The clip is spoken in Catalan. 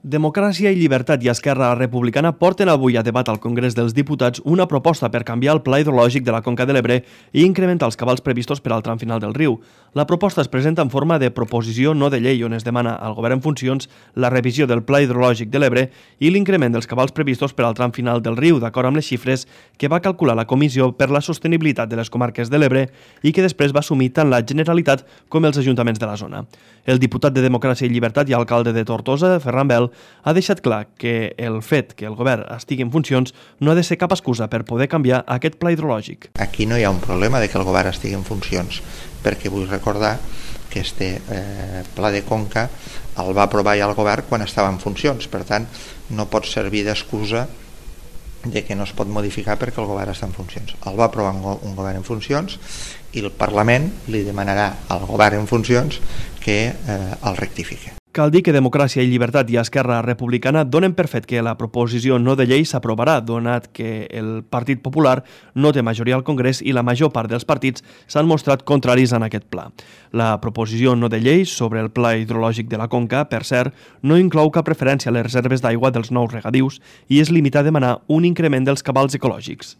Democràcia i Llibertat i Esquerra Republicana porten avui a debat al Congrés dels Diputats una proposta per canviar el pla hidrològic de la Conca de l'Ebre i incrementar els cabals previstos per al tram final del riu. La proposta es presenta en forma de proposició no de llei on es demana al govern en funcions la revisió del pla hidrològic de l'Ebre i l'increment dels cabals previstos per al tram final del riu, d'acord amb les xifres que va calcular la Comissió per la Sostenibilitat de les Comarques de l'Ebre i que després va assumir tant la Generalitat com els ajuntaments de la zona. El diputat de Democràcia i Llibertat i alcalde de Tortosa, Ferran Bel, ha deixat clar que el fet que el govern estigui en funcions no ha de ser cap excusa per poder canviar aquest pla hidrològic. Aquí no hi ha un problema de que el govern estigui en funcions, perquè vull recordar que este pla de Conca el va aprovar ja el govern quan estava en funcions, per tant no pot servir d'excusa de que no es pot modificar perquè el govern està en funcions. El va aprovar un govern en funcions i el Parlament li demanarà al govern en funcions que el rectifique. Cal dir que Democràcia i Llibertat i Esquerra Republicana donen per fet que la proposició no de llei s'aprovarà, donat que el Partit Popular no té majoria al Congrés i la major part dels partits s'han mostrat contraris en aquest pla. La proposició no de llei sobre el pla hidrològic de la Conca, per cert, no inclou cap referència a les reserves d'aigua dels nous regadius i es limita a demanar un increment dels cabals ecològics.